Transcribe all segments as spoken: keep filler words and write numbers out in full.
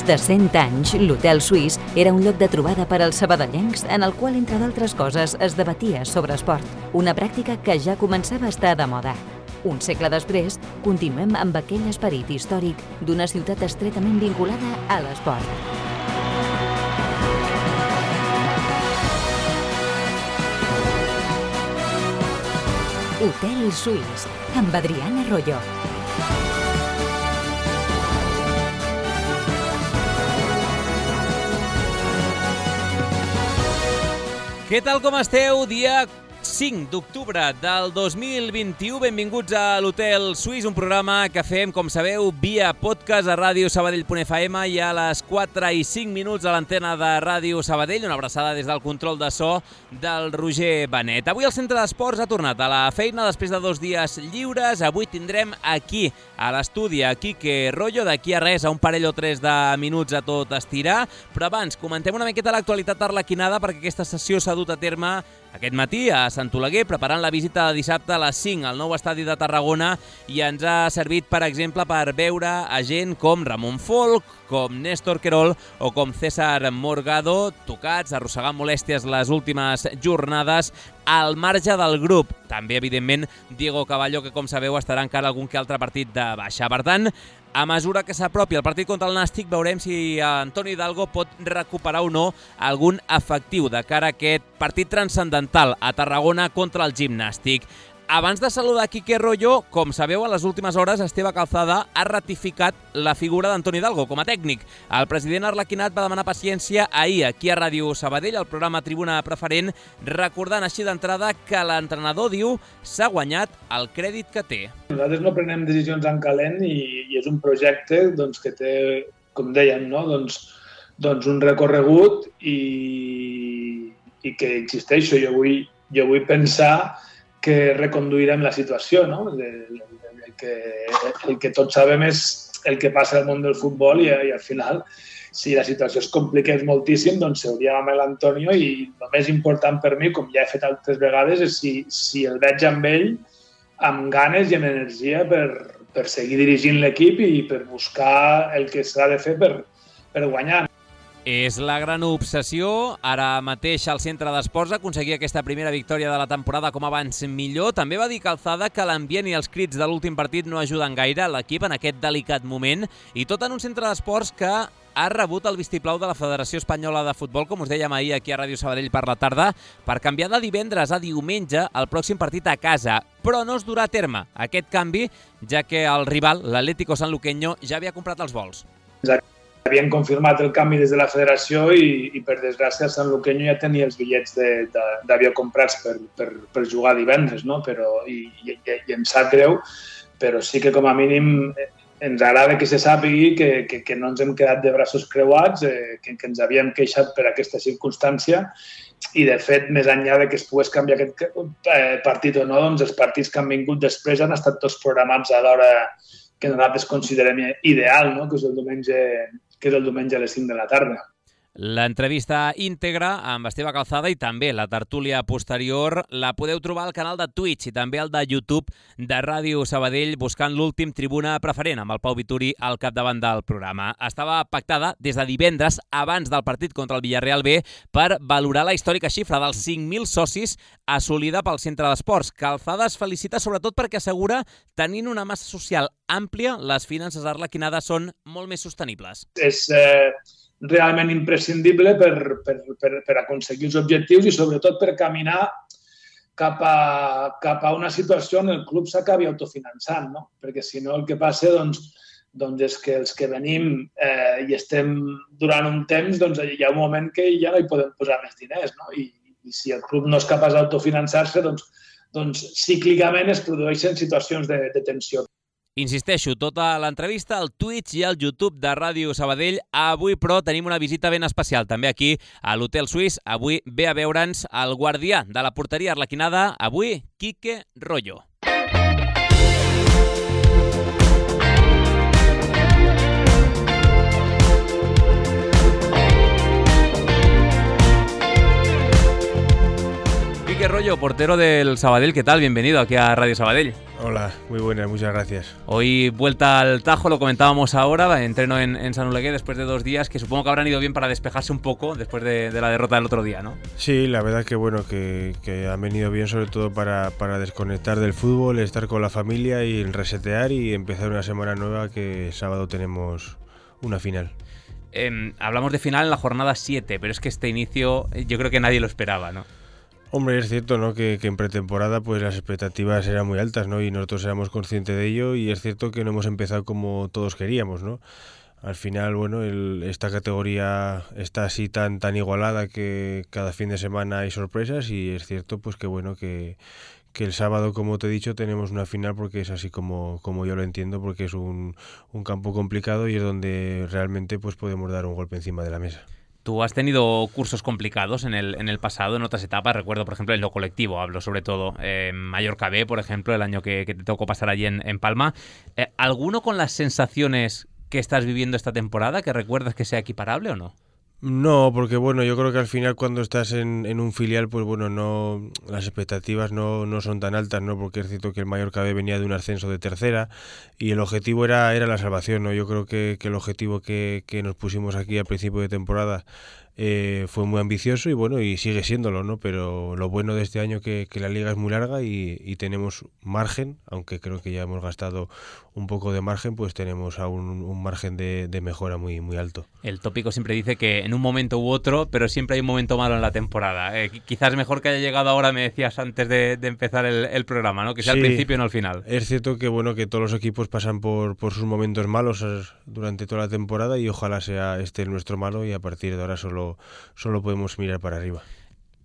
de cent anys, l'Hotel Suís era un lloc de trobada per als sabadellencs en el qual, entre d'altres coses, es debatia sobre esport, una pràctica que ja començava a estar de moda. Un segle després, continuem amb aquell esperit històric d'una ciutat estretament vinculada a l'esport. Hotel Suís, amb Adriana Royo. Què tal, com esteu? Dia cinc d'octubre del dos mil vint-i-u. Benvinguts a l'Hotel Suís, un programa que fem, com sabeu, via podcast a Ràdio Sabadell punt F M i a les quatre i cinc minuts a l'antena de Ràdio Sabadell. Una abraçada des del control de so del Roger Benet. Avui el Centre d'Esports ha tornat a la feina després de dos dies lliures. Avui tindrem aquí, a l'estudi, a Quique Royo, d'aquí a res, a un parell o tres de minuts a tot estirar. Però abans, comentem una miqueta l'actualitat arlequinada, perquè aquesta sessió s'ha dut a terme aquest matí a Sant Oleguer, preparant la visita de dissabte a les cinc al nou estadi de Tarragona, i ens ha servit, per exemple, per veure a gent com Ramon Folk, com Néstor Querol o com César Morgado, tocats, arrossegant molèsties les últimes jornades al marge del grup. També, evidentment, Diego Caballo, que, com sabeu, estarà encara algun que altre partit de baixa. Per tant, a mesura que s'apropi el partit contra el Nàstic, veurem si Antoni Hidalgo pot recuperar o no algun efectiu de cara a aquest partit transcendental a Tarragona contra el Gimnàstic. Abans de saludar Quique Royo, com sabeu, a les últimes hores Esteve Calzada ha ratificat la figura d'Antoni Hidalgo com a tècnic. El president arlequinat va demanar paciència ahir aquí a Ràdio Sabadell, al programa Tribuna Preferent, recordant així d'entrada que l'entrenador, diu, s'ha guanyat el crèdit que té. Nosaltres no prenem decisions en calent i, i és un projecte doncs, que té, com dèiem, no? doncs, doncs un recorregut i, i que, insisteixo, jo vull, jo vull pensar que reconduirem la situació, no? El, el, el, que, el que tots sabem és el que passa al món del futbol i, i al final, si la situació es compliqués moltíssim, doncs seuríem amb l'Antonio i el més important per mi, com ja he fet altres vegades, és si, si el veig amb ell amb ganes i amb energia per, per seguir dirigint l'equip i per buscar el que s'ha de fer per, per guanyar. És la gran obsessió. Ara mateix al Centre d'Esports aconseguir aquesta primera victòria de la temporada com abans millor. També va dir Calzada que l'ambient i els crits de l'últim partit no ajuden gaire a l'equip en aquest delicat moment, i tot en un Centre d'Esports que ha rebut el vistiplau de la Federació Espanyola de Futbol, com us dèiem ahir aquí a Ràdio Sabadell per la tarda, per canviar de divendres a diumenge el pròxim partit a casa. Però no es durà a terme aquest canvi, ja que el rival, l'Atlético Sanluqueño, ja havia comprat els vols. Exacte. Havien confirmat el canvi des de la federació i, i per desgràcia, el Sanluqueño ja tenia els bitllets d'avió comprats per, per, per jugar divendres, no? Però, i, i, i em sap greu, però sí que com a mínim ens agrada que se sàpigui que, que, que no ens hem quedat de braços creuats, eh, que, que ens havíem queixat per aquesta circumstància i, de fet, més enllà de que es pogués canviar aquest eh, partit o no, doncs els partits que han vingut després han estat tots programats a l'hora que nosaltres considerem ideal, no? que és el diumenge que és el diumenge a les cinc de la tarda. L'entrevista íntegra amb Esteve Calzada i també la tertúlia posterior la podeu trobar al canal de Twitch i també al de YouTube de Ràdio Sabadell, buscant l'últim Tribuna Preferent amb el Pau Vituri al capdavant del programa. Estava pactada des de divendres abans del partit contra el Villarreal B per valorar la històrica xifra dels cinc mil socis assolida pel Centre d'Esports. Calzada es felicita sobretot perquè assegura, tenint una massa social àmplia, les finances arlequinades són molt més sostenibles. És eh, realment imprescindible per, per, per, per aconseguir els objectius i sobretot per caminar cap a, cap a una situació on el club s'acabi autofinançant, no? Perquè si no el que passa doncs, doncs és que els que venim eh, i estem durant un temps, doncs hi ha un moment que ja no hi podem posar més diners, no? I, i si el club no és capaç d'autofinançar-se, doncs, doncs cíclicament es produeixen situacions de, de tensió. Insisteixo, tota l'entrevista al Twitch i al YouTube de Ràdio Sabadell. Avui, però, tenim una visita ben especial, també aquí a l'Hotel Suís. Avui ve a veure'ns el guardià de la porteria arlequinada, avui, Quique Royo. Quique Rollo, portero del Sabadell, ¿qué tal? Bienvenido aquí a Radio Sabadell. Hola, muy buenas, muchas gracias. Hoy vuelta al Tajo, lo comentábamos ahora, entreno en, en San Oleguer después de dos días, que supongo que habrán ido bien para despejarse un poco después de, de la derrota del otro día, ¿no? Sí, la verdad que bueno, que, que han venido bien sobre todo para, para desconectar del fútbol, estar con la familia y resetear y empezar una semana nueva, que sábado tenemos una final. Eh, hablamos de final en la jornada siete, pero es que este inicio yo creo que nadie lo esperaba, ¿no? Hombre, es cierto, ¿no? Que, que en pretemporada pues las expectativas eran muy altas, ¿no? Y nosotros éramos conscientes de ello, y es cierto que no hemos empezado como todos queríamos, ¿no? Al final, bueno, el, esta categoría está así tan tan igualada que cada fin de semana hay sorpresas, y es cierto pues que bueno que, que el sábado, como te he dicho, tenemos una final, porque es así como, como yo lo entiendo, porque es un, un campo complicado y es donde realmente pues podemos dar un golpe encima de la mesa. Tú has tenido cursos complicados en el, en el pasado, en otras etapas. Recuerdo, por ejemplo, en lo colectivo, hablo sobre todo. Eh, Mallorca B, por ejemplo, el año que, que te tocó pasar allí en, en Palma. Eh, ¿Alguno con las sensaciones que estás viviendo esta temporada, que recuerdas que sea equiparable o no? No, porque bueno, yo creo que al final cuando estás en, en un filial, pues bueno, no las expectativas no, no son tan altas, ¿no? Porque es cierto que el Mallorca B venía de un ascenso de tercera y el objetivo era, era la salvación, ¿no? Yo creo que, que el objetivo que, que nos pusimos aquí al principio de temporada eh, fue muy ambicioso y bueno, y sigue siéndolo, ¿no? Pero lo bueno de este año que, que la liga es muy larga y, y tenemos margen, aunque creo que ya hemos gastado un poco de margen, pues tenemos aún un, un margen de, de mejora muy, muy alto. El tópico siempre dice que en un momento u otro, pero siempre hay un momento malo en la temporada. Eh, quizás mejor que haya llegado ahora, me decías antes de, de empezar el, el programa, ¿no? Que sea sí, al principio y no al final. Es cierto que bueno, que todos los equipos pasan por, por sus momentos malos durante toda la temporada, y ojalá sea este el nuestro malo, y a partir de ahora solo, solo podemos mirar para arriba.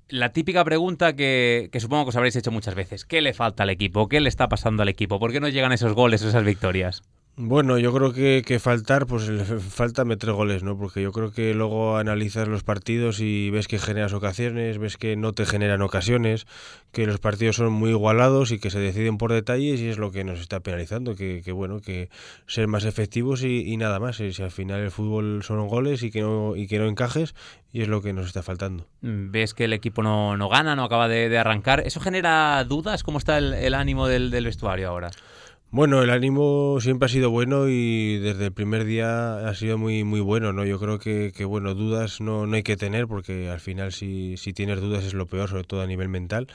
La típica pregunta que, que supongo que os habréis hecho muchas veces: ¿qué le falta al equipo? ¿Qué le está pasando al equipo? ¿Por qué no llegan esos goles, esas victorias? Bueno, yo creo que, que faltar, pues le falta meter goles, ¿no? Porque yo creo que luego analizas los partidos y ves que generas ocasiones, ves que no te generan ocasiones, que los partidos son muy igualados y que se deciden por detalles, y es lo que nos está penalizando, que, que bueno, que ser más efectivos y, y nada más. Y si al final el fútbol son goles y que no y que no encajes, y es lo que nos está faltando. Ves que el equipo no, no gana, no acaba de, de arrancar. ¿Eso genera dudas? ¿Cómo está el, el ánimo del, del vestuario ahora? Bueno, el ánimo siempre ha sido bueno y desde el primer día ha sido muy muy bueno, ¿no? Yo creo que, que bueno, dudas no, no hay que tener, porque al final si, si tienes dudas es lo peor, sobre todo a nivel mental.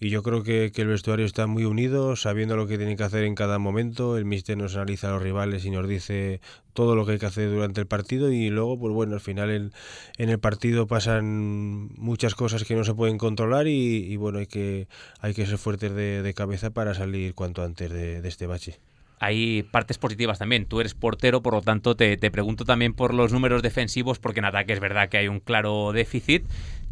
Y yo creo que, que el vestuario está muy unido, sabiendo lo que tiene que hacer en cada momento. El míster nos analiza a los rivales y nos dice todo lo que hay que hacer durante el partido, y luego, pues bueno, al final el, en el partido pasan muchas cosas que no se pueden controlar y, y bueno, hay que, hay que ser fuertes de, de cabeza para salir cuanto antes de, de este bache. Hay partes positivas también. Tú eres portero, por lo tanto te, te pregunto también por los números defensivos, porque en ataque es verdad que hay un claro déficit.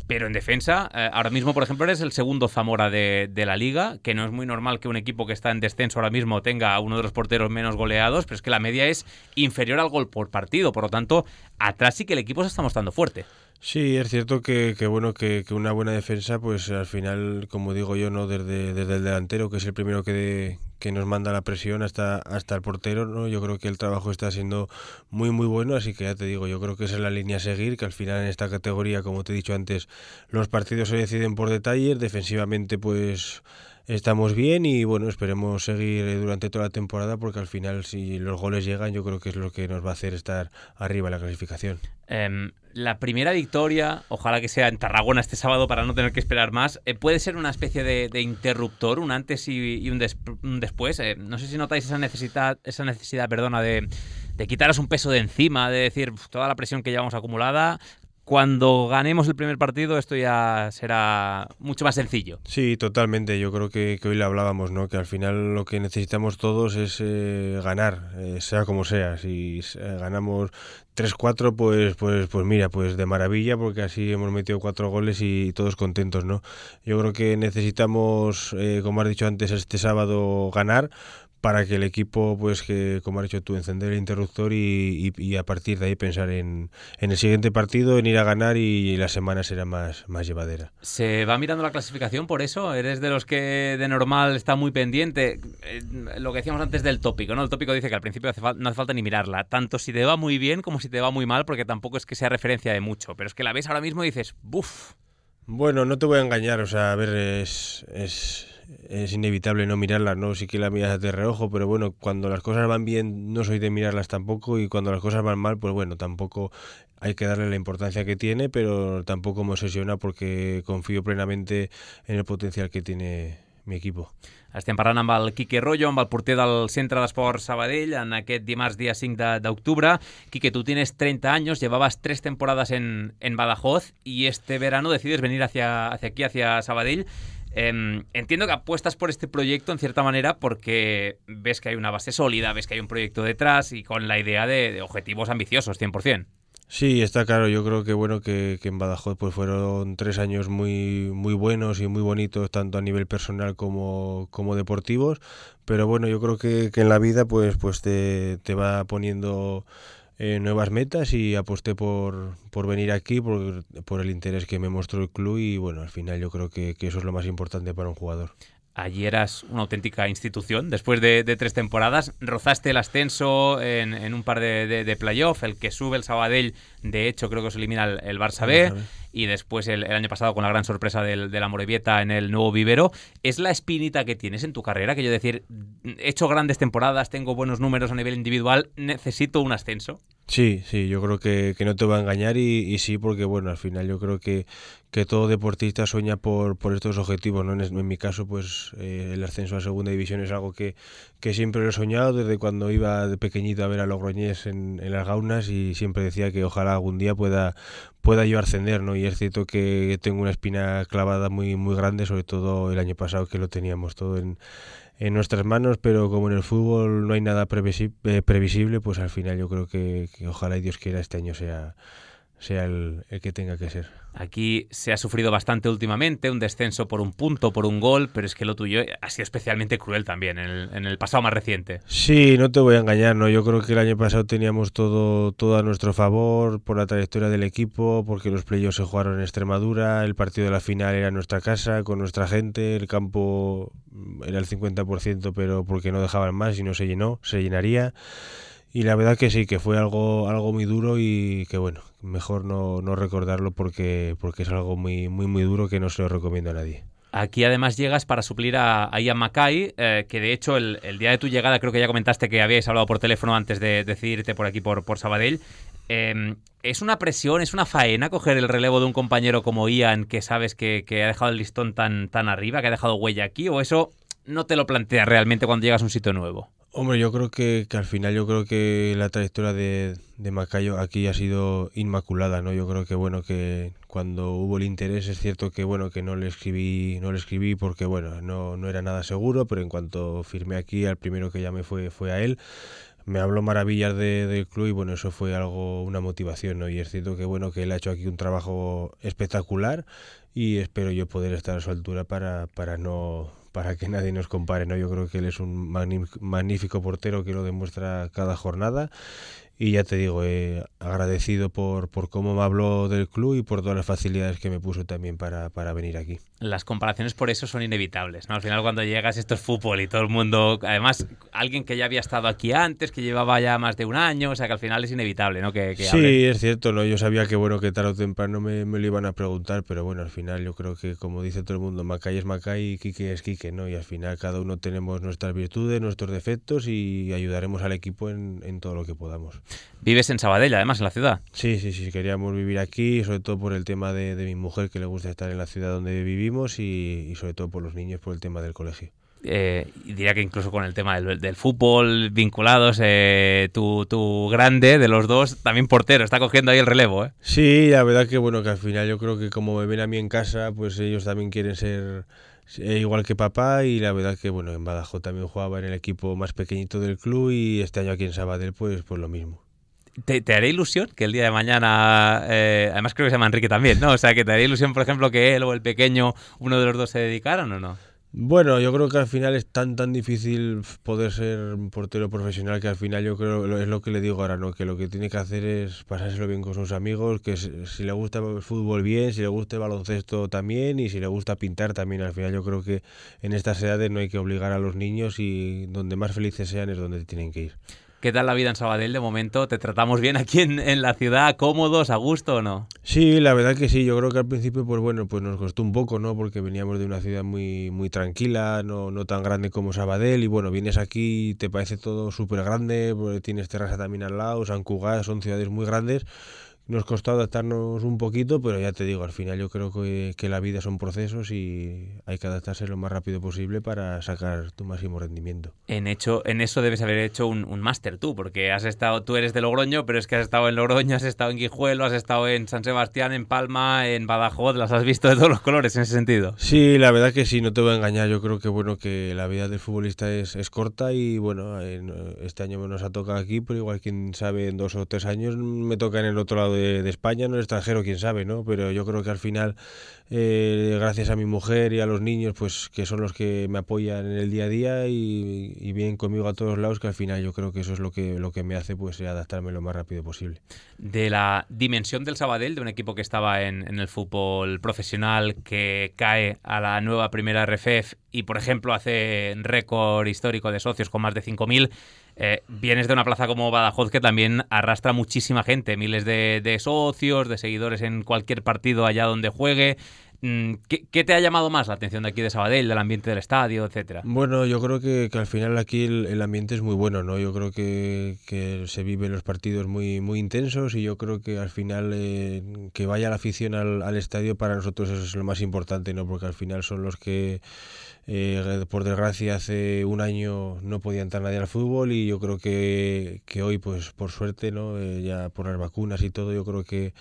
Pero en defensa, eh, ahora mismo, por ejemplo, eres el segundo Zamora de, de la Liga, que no es muy normal que un equipo que está en descenso ahora mismo tenga a uno de los porteros menos goleados, pero es que la media es inferior al gol por partido. Por lo tanto, atrás sí que el equipo se está mostrando fuerte. Sí, es cierto que, que bueno que, que una buena defensa, pues al final, como digo yo, no desde, desde el delantero, que es el primero que, de, que nos manda la presión, hasta, hasta el portero, ¿no? Yo creo que el trabajo está siendo muy muy bueno, así que ya te digo, yo creo que esa es la línea a seguir, que al final en esta categoría, como te he dicho antes, los partidos se deciden por detalles. Defensivamente pues estamos bien y bueno, esperemos seguir durante toda la temporada, porque al final si los goles llegan, yo creo que es lo que nos va a hacer estar arriba en la clasificación. Um, la primera victoria, ojalá que sea en Tarragona este sábado para no tener que esperar más, eh, puede ser una especie de, de interruptor, un antes y, y un, des, un después. Eh, no sé si notáis esa necesidad, esa necesidad, perdona, de, de quitaros un peso de encima, de decir toda la presión que llevamos acumulada. Cuando ganemos el primer partido esto ya será mucho más sencillo. Sí, totalmente. Yo creo que, que hoy le hablábamos, ¿no? Que al final lo que necesitamos todos es eh, ganar, eh, sea como sea. Si eh, ganamos tres cuatro, pues, pues, pues mira, pues de maravilla, porque así hemos metido cuatro goles y todos contentos, ¿no? Yo creo que necesitamos, eh, como has dicho antes, este sábado ganar, para que el equipo, pues que como has dicho tú, encender el interruptor y, y, y a partir de ahí pensar en, en el siguiente partido, en ir a ganar, y la semana será más, más llevadera. ¿Se va mirando la clasificación por eso? ¿Eres de los que de normal está muy pendiente? Eh, lo que decíamos antes del tópico, ¿no? El tópico dice que al principio hace fal- no hace falta ni mirarla, tanto si te va muy bien como si te va muy mal, porque tampoco es que sea referencia de mucho, pero es que la ves ahora mismo y dices, ¡buf! Bueno, no te voy a engañar, o sea, a ver, es, es, es inevitable no mirarlas, ¿no? Sí que la miras de reojo, pero bueno, cuando las cosas van bien no soy de mirarlas tampoco, y cuando las cosas van mal, pues bueno, tampoco hay que darle la importancia que tiene, pero tampoco me obsesiona porque confío plenamente en el potencial que tiene mi equipo. Estem parlant amb el Quique Rollo, amb el porter del Centre d'Esports Sabadell, en aquest dimarts, día cinco de octubre. Quique, tú tienes treinta años, llevabas tres temporadas en, en Badajoz y este verano decides venir hacia, hacia aquí, hacia Sabadell. Eh, entiendo que apuestas por este proyecto en cierta manera porque ves que hay una base sólida, ves que hay un proyecto detrás y con la idea de, de objetivos ambiciosos, cien por ciento. Sí, está claro. Yo creo que bueno que, que en Badajoz pues fueron tres años muy muy buenos y muy bonitos, tanto a nivel personal como, como deportivos. Pero bueno, yo creo que, que en la vida pues pues te, te va poniendo eh, nuevas metas, y aposté por, por venir aquí por, por el interés que me mostró el club, y bueno, al final yo creo que, que eso es lo más importante para un jugador. Allí eras una auténtica institución. Después de, de tres temporadas, rozaste el ascenso en, en un par de, de, de playoff. El que sube el Sabadell, de hecho, creo que os elimina el, el Barça B. Y después el, el año pasado con la gran sorpresa del, de la Morevieta en el nuevo vivero. ¿Es la espinita que tienes en tu carrera? Que yo decir, he hecho grandes temporadas, tengo buenos números a nivel individual, necesito un ascenso. Sí, sí, yo creo que, que no te va a engañar, y, y sí, porque bueno, al final yo creo que, que todo deportista sueña por, por estos objetivos, ¿no? En, en mi caso, pues eh, el ascenso a segunda división es algo que, que siempre lo he soñado desde cuando iba de pequeñito a ver a Logroñés en, en las Gaunas, y siempre decía que ojalá algún día pueda, pueda yo ascender, ¿no? Y es cierto que tengo una espina clavada muy, muy grande, sobre todo el año pasado, que lo teníamos todo en en nuestras manos, pero como en el fútbol no hay nada previsible, previsible pues al final yo creo que, que ojalá y Dios quiera este año sea, sea el, el que tenga que ser. Aquí se ha sufrido bastante últimamente, un descenso por un punto, por un gol, pero es que lo tuyo ha sido especialmente cruel también en el, en el pasado más reciente. Sí, no te voy a engañar, ¿no? Yo creo que el año pasado teníamos todo, todo a nuestro favor por la trayectoria del equipo, porque los playoffs se jugaron en Extremadura, el partido de la final era en nuestra casa, con nuestra gente, el campo era el cincuenta por ciento, pero porque no dejaban más y no se llenó, se llenaría. Y la verdad que sí, que fue algo algo muy duro, y que bueno, mejor no, no recordarlo porque, porque es algo muy, muy, muy duro que no se lo recomiendo a nadie. Aquí además llegas para suplir a, a Ian Mackay, eh, que de hecho el, el día de tu llegada creo que ya comentaste que habíais hablado por teléfono antes de decidirte por aquí, por, por Sabadell. Eh, ¿Es una presión, es una faena coger el relevo de un compañero como Ian, que sabes que, que ha dejado el listón tan, tan arriba, que ha dejado huella aquí, o eso no te lo planteas realmente cuando llegas a un sitio nuevo? Hombre, yo creo que, que al final yo creo que la trayectoria de, de Macayo aquí ha sido inmaculada, ¿no? Yo creo que bueno, que cuando hubo el interés es cierto que bueno, que no le escribí, no le escribí porque bueno, no, no era nada seguro, pero en cuanto firmé aquí, al primero que llamé fue, fue a él. Me habló maravillas de, del club, y bueno, eso fue algo, una motivación, ¿no? Y es cierto que bueno, que él ha hecho aquí un trabajo espectacular, y espero yo poder estar a su altura para, para no para que nadie nos compare, ¿no? Yo creo que él es un magnífico portero que lo demuestra cada jornada, y ya te digo, eh, agradecido por, por cómo me habló del club y por todas las facilidades que me puso también para, para venir aquí. Las comparaciones por eso son inevitables, ¿no? Al final cuando llegas esto es fútbol y todo el mundo, además alguien que ya había estado aquí antes, que llevaba ya más de un año, o sea que al final es inevitable, ¿no? Que, que sí, hable. Es cierto, ¿no? Yo sabía que bueno, que tarde o temprano me, me lo iban a preguntar, pero bueno, al final yo creo que como dice todo el mundo, Mackay es Mackay y Quique es Quique, ¿no? Y al final cada uno tenemos nuestras virtudes, nuestros defectos, y ayudaremos al equipo en, en todo lo que podamos. Vives en Sabadell, además, en la ciudad. Sí, sí, sí, queríamos vivir aquí, sobre todo por el tema de, de mi mujer, que le gusta estar en la ciudad donde vivimos, y, y sobre todo por los niños, por el tema del colegio. Eh, diría que incluso con el tema del, del fútbol vinculados, eh, tu, tu grande de los dos, también portero, está cogiendo ahí el relevo, ¿eh? Sí, la verdad que bueno, que al final yo creo que como me ven a mí en casa, pues ellos también quieren ser igual que papá, y la verdad que bueno, en Badajoz también jugaba en el equipo más pequeñito del club, y este año aquí en Sabadell pues, pues lo mismo. ¿Te, ¿Te haré ilusión que el día de mañana, eh, además creo que se llama Enrique también, ¿no? O sea, que te haré ilusión, por ejemplo, que él o el pequeño, uno de los dos se dedicaran, ¿o no? Bueno, yo creo que al final es tan tan difícil poder ser un portero profesional, que al final yo creo, es lo que le digo ahora, ¿no? Que lo que tiene que hacer es pasárselo bien con sus amigos, que si le gusta el fútbol bien, si le gusta el baloncesto también, y si le gusta pintar también. Al final yo creo que en estas edades no hay que obligar a los niños, y donde más felices sean es donde tienen que ir. ¿Qué tal la vida en Sabadell de momento? ¿Te tratamos bien aquí en, en la ciudad? ¿Cómodos, a gusto o no? Sí, la verdad que sí. Yo creo que al principio, pues bueno, pues nos costó un poco, ¿no? Porque veníamos de una ciudad muy muy tranquila, no, no tan grande como Sabadell, y bueno, vienes aquí y te parece todo súper grande, porque tienes Terrassa también al lado, Sant Cugat, son ciudades muy grandes. Nos costó adaptarnos un poquito, pero ya te digo, al final yo creo que, que la vida son procesos y hay que adaptarse lo más rápido posible para sacar tu máximo rendimiento. En hecho, en eso debes haber hecho un, un máster tú, porque has estado, tú eres de Logroño, pero es que has estado en Logroño, has estado en Guijuelo, has estado en San Sebastián, en Palma, en Badajoz, las has visto de todos los colores en ese sentido. Sí, la verdad que sí, no te voy a engañar. Yo creo que bueno que la vida del futbolista es, es corta y bueno, en, este año nos ha tocado aquí, pero igual quién sabe en dos o tres años me toca en el otro lado de, de España, en el extranjero, quién sabe, ¿no? Pero yo creo que al final, eh, gracias a mi mujer y a los niños, pues que son los que me apoyan en el día a día y, y vienen conmigo a todos lados, que al final yo creo que eso es lo que, lo que me hace pues adaptarme lo más rápido posible. De la dimensión del Sabadell, de un equipo que estaba en, en el fútbol profesional, que cae a la nueva primera R F E F y, por ejemplo, hace récord histórico de socios con más de cinco mil, eh, vienes de una plaza como Badajoz que también arrastra muchísima gente, miles de, de socios, de seguidores en cualquier partido allá donde juegue. ¿Qué, ¿Qué te ha llamado más la atención de aquí de Sabadell, del ambiente del estadio, etcétera? Bueno, yo creo que, que al final aquí el, el ambiente es muy bueno, ¿no? Yo creo que, que se viven los partidos muy muy intensos y yo creo que al final eh, que vaya la afición al, al estadio para nosotros eso es lo más importante, ¿no? Porque al final son los que eh, por desgracia hace un año no podía entrar nadie al fútbol y yo creo que, que hoy pues por suerte, ¿no? Eh, ya por las vacunas y todo, yo creo que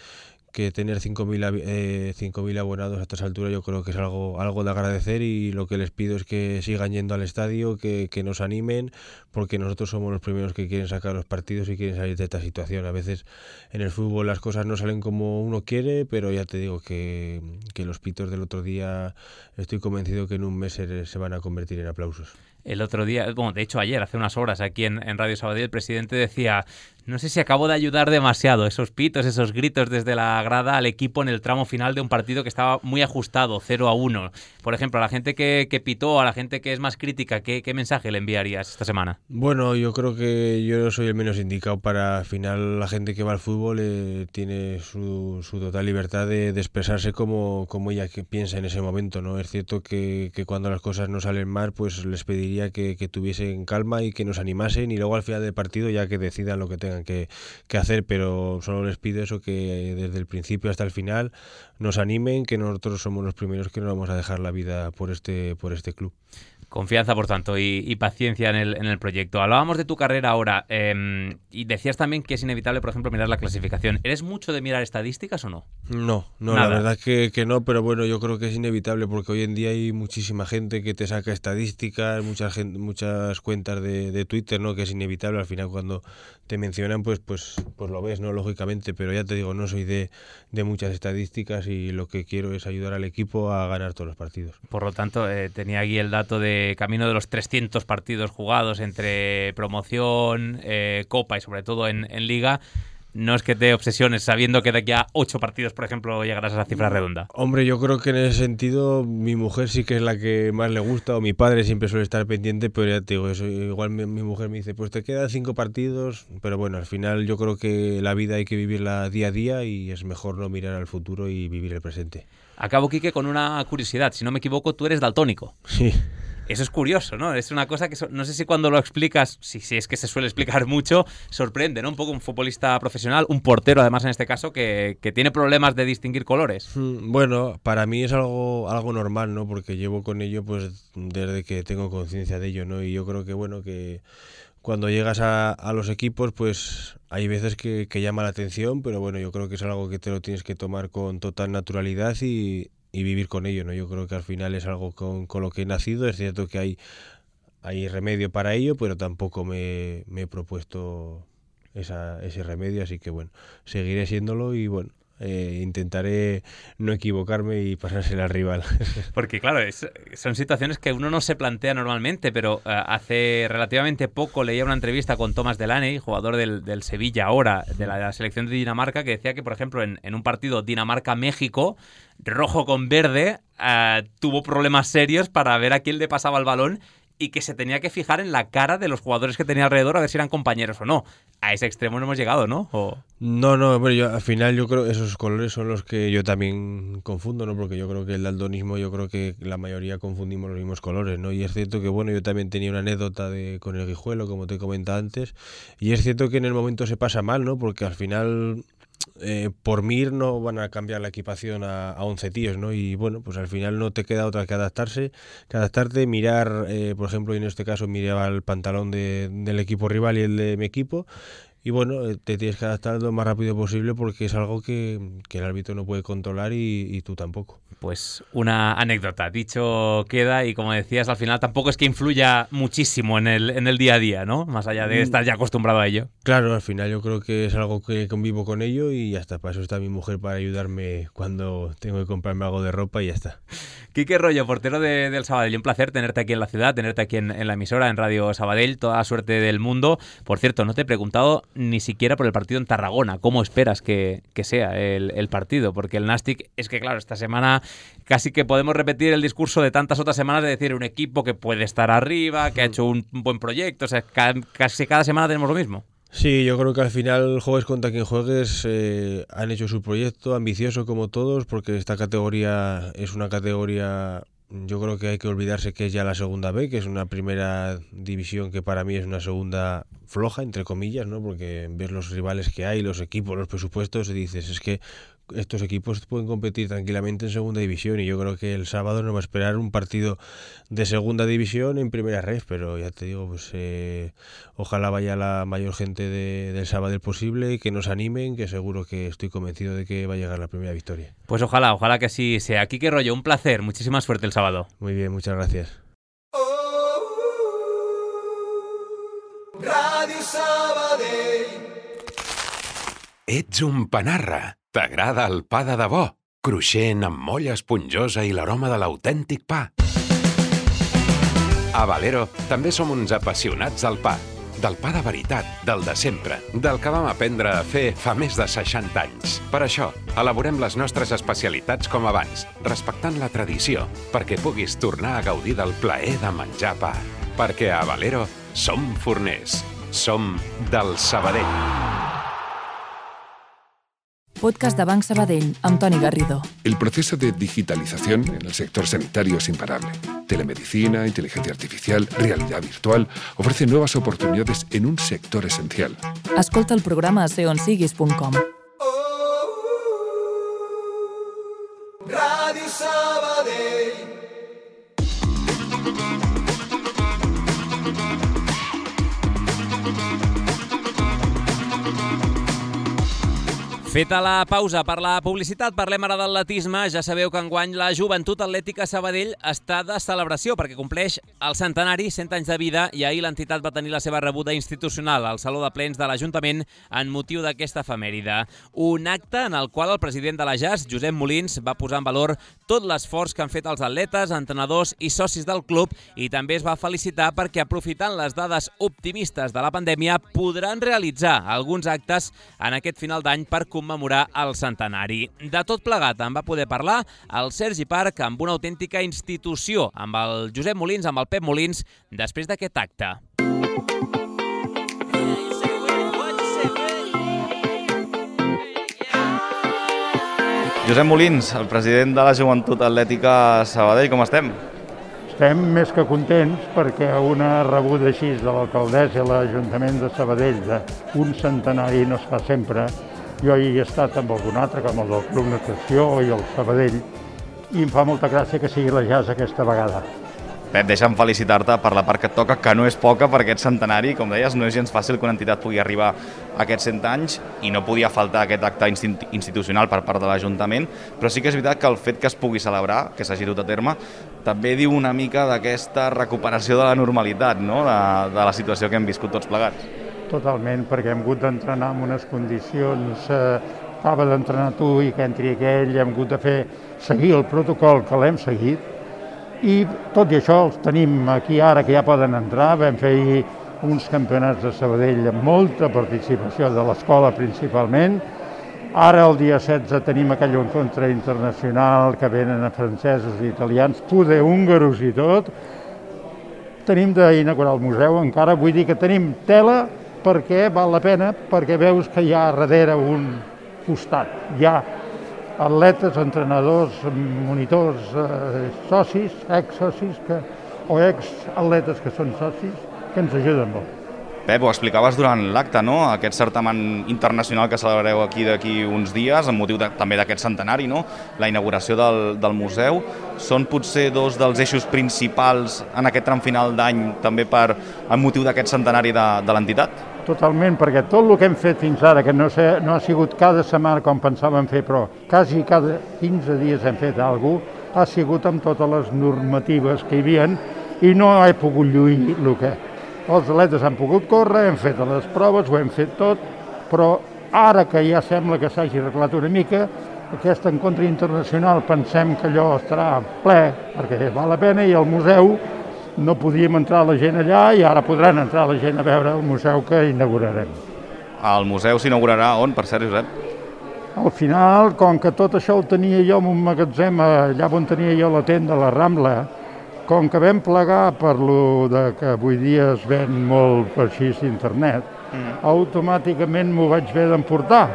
que tener cinco mil eh, cinco mil abonados a estas alturas yo creo que es algo algo de agradecer y lo que les pido es que sigan yendo al estadio, que, que nos animen, porque nosotros somos los primeros que quieren sacar los partidos y quieren salir de esta situación. A veces en el fútbol las cosas no salen como uno quiere, pero ya te digo que, que los pitos del otro día estoy convencido que en un mes se, se van a convertir en aplausos. El otro día, bueno, de hecho ayer, hace unas horas aquí en, en Radio Sabadell, el presidente decía, no sé si acabo de ayudar demasiado, esos pitos, esos gritos desde la grada al equipo en el tramo final de un partido que estaba muy ajustado, cero a uno. Por ejemplo, a la gente que, que pitó, a la gente que es más crítica, ¿qué, qué mensaje le enviarías esta semana? Bueno, yo creo que yo soy el menos indicado para, al final, la gente que va al fútbol eh, tiene su, su total libertad de, de expresarse como, como ella que piensa en ese momento, ¿no? Es cierto que, que cuando las cosas no salen mal, pues les pediría Que, que tuviesen calma y que nos animasen y luego al final del partido ya que decidan lo que tengan que, que hacer, pero solo les pido eso, que desde el principio hasta el final nos animen, que nosotros somos los primeros que no vamos a dejar la vida por este, por este club. Confianza, por tanto, y, y paciencia en el, en el proyecto. Hablábamos de tu carrera ahora eh, y decías también que es inevitable, por ejemplo, mirar la clasificación. ¿Eres mucho de mirar estadísticas o no? No, no, Nada. La verdad que, que no, pero bueno, yo creo que es inevitable porque hoy en día hay muchísima gente que te saca estadísticas, mucha gente, muchas cuentas de, de Twitter, ¿no? Que es inevitable, al final cuando te mencionan, pues, pues, pues lo ves, ¿no? Lógicamente, pero ya te digo, no soy de, de muchas estadísticas y lo que quiero es ayudar al equipo a ganar todos los partidos. Por lo tanto, eh, tenía aquí el dato de camino de los trescientos partidos jugados entre promoción, eh, Copa y sobre todo en, en Liga. No es que te obsesiones sabiendo que de aquí a ocho partidos, por ejemplo, llegarás a esa cifra redonda. Hombre, yo creo que en ese sentido mi mujer sí que es la que más le gusta, o mi padre siempre suele estar pendiente, pero ya te digo, eso, igual mi, mi mujer me dice, pues te quedan cinco partidos, pero bueno, al final yo creo que la vida hay que vivirla día a día y es mejor no mirar al futuro y vivir el presente. Acabo, Quique, con una curiosidad. Si no me equivoco, tú eres daltónico. Sí. Eso es curioso, ¿no? Es una cosa que so- no sé si cuando lo explicas, si, si es que se suele explicar mucho, sorprende, ¿no? Un poco un futbolista profesional, un portero además en este caso, que, que tiene problemas de distinguir colores. Bueno, para mí es algo algo normal, ¿no? Porque llevo con ello pues desde que tengo conciencia de ello, ¿no? Y yo creo que, bueno, que cuando llegas a, a los equipos, pues hay veces que, que llama la atención, pero bueno, yo creo que es algo que te lo tienes que tomar con total naturalidad y... y vivir con ello, ¿no? Yo creo que al final es algo con, con lo que he nacido. Es cierto que hay, hay remedio para ello, pero tampoco me, me he propuesto esa, ese remedio, así que bueno, seguiré siéndolo y bueno, eh, intentaré no equivocarme y pasársela al rival. Porque claro, es, son situaciones que uno no se plantea normalmente, pero uh, hace relativamente poco leía una entrevista con Thomas Delaney, jugador del, del Sevilla ahora, de la, de la selección de Dinamarca, que decía que, por ejemplo, en, en un partido Dinamarca-México, rojo con verde, uh, tuvo problemas serios para ver a quién le pasaba el balón y que se tenía que fijar en la cara de los jugadores que tenía alrededor a ver si eran compañeros o no. A ese extremo no hemos llegado, ¿no? O... No, no, bueno, yo, al final yo creo que esos colores son los que yo también confundo, ¿no? Porque yo creo que el daltonismo, yo creo que la mayoría confundimos los mismos colores, ¿no? Y es cierto que, bueno, yo también tenía una anécdota de, con el Guijuelo, como te he comentado antes, y es cierto que en el momento se pasa mal, ¿no? Porque al final... Eh, por Mir no van a cambiar la equipación a, a once tíos, ¿no? Y bueno, pues al final no te queda otra que adaptarse, que adaptarte, mirar, eh, por ejemplo, en este caso miraba el pantalón de, del equipo rival y el de mi equipo, y bueno, te tienes que adaptar lo más rápido posible porque es algo que, que el árbitro no puede controlar y, y tú tampoco. Pues una anécdota, dicho queda, y como decías, al final tampoco es que influya muchísimo en el, en el día a día, ¿no? Más allá de estar ya acostumbrado a ello. Claro, al final yo creo que es algo que convivo con ello y ya está, para eso está mi mujer, para ayudarme cuando tengo que comprarme algo de ropa y ya está. Quique Rollo, portero de, del Sabadell, un placer tenerte aquí en la ciudad, tenerte aquí en, en la emisora, en Radio Sabadell, toda la suerte del mundo. Por cierto, no te he preguntado ni siquiera por el partido en Tarragona, ¿cómo esperas que, que sea el, el partido? Porque el Nàstic, es que claro, esta semana casi que podemos repetir el discurso de tantas otras semanas de decir un equipo que puede estar arriba, que ha hecho un buen proyecto, o sea, casi cada semana tenemos lo mismo. Sí, yo creo que al final, juegues contra quien juegues, eh, han hecho su proyecto, ambicioso como todos, porque esta categoría es una categoría, yo creo que hay que olvidarse que es ya la segunda B, que es una primera división que para mí es una segunda floja, entre comillas, ¿no? Porque ves los rivales que hay, los equipos, los presupuestos, y dices, es que estos equipos pueden competir tranquilamente en segunda división, y yo creo que el sábado nos va a esperar un partido de segunda división en primera red, pero ya te digo, pues eh, ojalá vaya la mayor gente de, del sábado posible y que nos animen, que seguro que estoy convencido de que va a llegar la primera victoria. Pues ojalá, ojalá que así sea. Quique Rollo, un placer, muchísima suerte el sábado. Muy bien, muchas gracias. Ràdio Sabadell. Ets un panarra. T'agrada el pa de debò, cruixent amb molla esponjosa i l'aroma de l'autèntic pa. A Valero també som uns apassionats del pa, del pa de veritat, del de sempre, del que vam aprendre a fer fa més de seixanta anys. Per això, elaborem les nostres especialitats com abans, respectant la tradició, perquè puguis tornar a gaudir del plaer de menjar pa. Perquè a Valero som forners, som del Sabadell. Podcast de Banc Sabadell, amb Toni Garrido. El proceso de digitalización en el sector sanitario es imparable. Telemedicina, inteligencia artificial, realidad virtual ofrecen nuevas oportunidades en un sector esencial. Escolta el programa a ser on siguis punt com. Ràdio Sabadell. Feta la pausa per la publicitat, parlem ara d'atletisme. Ja sabeu que enguany la Joventut Atlètica Sabadell està de celebració perquè compleix el centenari, cent anys de vida, i ahir l'entitat va tenir la seva rebuda institucional al Saló de Plens de l'Ajuntament en motiu d'aquesta efemèride. Un acte en el qual el president de la J A S, Josep Molins, va posar en valor tot l'esforç que han fet els atletes, entrenadors i socis del club, i també es va felicitar perquè, aprofitant les dades optimistes de la pandèmia, podran realitzar alguns actes en aquest final d'any per commemorar el centenari. De tot plegat en va poder parlar el Sergi Parc amb una autèntica institució, amb el Josep Molins, amb el Pep Molins, després d'aquest acte. Josep Molins, el president de la Joventut Atlètica Sabadell, com estem? Estem més que contents perquè una rebuda així de l'alcaldessa i l'Ajuntament de Sabadell d'un centenari no es fa sempre. Jo hi he estat amb algun altre, com el del Club Natació i el Sabadell, i em fa molta gràcia que sigui la J A S aquesta vegada. Pep, deixa'm felicitar-te per la part que et toca, que no és poca per aquest centenari. Com deies, no és gens fàcil que una entitat pugui arribar a aquests cent anys i no podia faltar aquest acte institucional per part de l'Ajuntament, però sí que és veritat que el fet que es pugui celebrar, que s'hagi dut a terme, també diu una mica d'aquesta recuperació de la normalitat, no? de, de la situació que hem viscut tots plegats. Totalment, perquè hem hagut d'entrenar en unes condicions, eh, acaba d'entrenar tu i que entri aquell, hem hagut de fer seguir el protocol que l'hem seguit, i tot i això els tenim aquí ara que ja poden entrar. Vam fer uns campionats de Sabadell amb molta participació de l'escola principalment. Ara el dia setze tenim aquell encontre internacional que venen a francesos i italians, poder húngaros i tot. tenim d'inaugurar el museu, encara vull dir que tenim tela perquè val la pena, perquè veus que hi ha darrere un costat, hi ha atletes, entrenadors, monitors, eh, socis, ex-socis, que, o ex-atletes que són socis, que ens ajuden molt. Pep, ho explicaves durant l'acte, no? Aquest certamen internacional que celebrareu aquí d'aquí uns dies, amb motiu de, també d'aquest centenari, no? La inauguració del, del museu. Són potser dos dels eixos principals en aquest tram final d'any, també per amb motiu d'aquest centenari de, de l'entitat? Totalment, perquè tot el que hem fet fins ara, que no, sé, no ha sigut cada setmana com pensàvem fer, però quasi cada quinze dies hem fet alguna cosa, ha sigut amb totes les normatives que hi havia i no he pogut lluir el que... Els atletes han pogut córrer, hem fet les proves, ho hem fet tot, però ara que ja sembla que s'hagi arreglat una mica, aquest encontre internacional pensem que allò estarà ple, perquè val la pena, i al museu no podíem entrar la gent allà i ara podran entrar la gent a veure el museu que inaugurarem. El museu s'inaugurarà on, per cert, Josep? Al final, com que tot això ho tenia jo en un magatzem allà on tenia jo la tenda, la Rambla, com que vam plegar per lo de que avui dia es ven molt per així internet, mm. automàticament m'ho vaig haver d'emportar.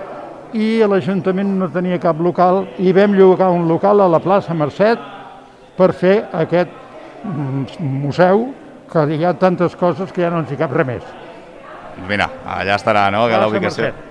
I l'Ajuntament no tenia cap local i vam llogar un local a la plaça Mercet per fer aquest museu, que hi ha tantes coses que ja no ens hi cap res més. Mira, allà estarà, no?, que la ubicació. Mercet.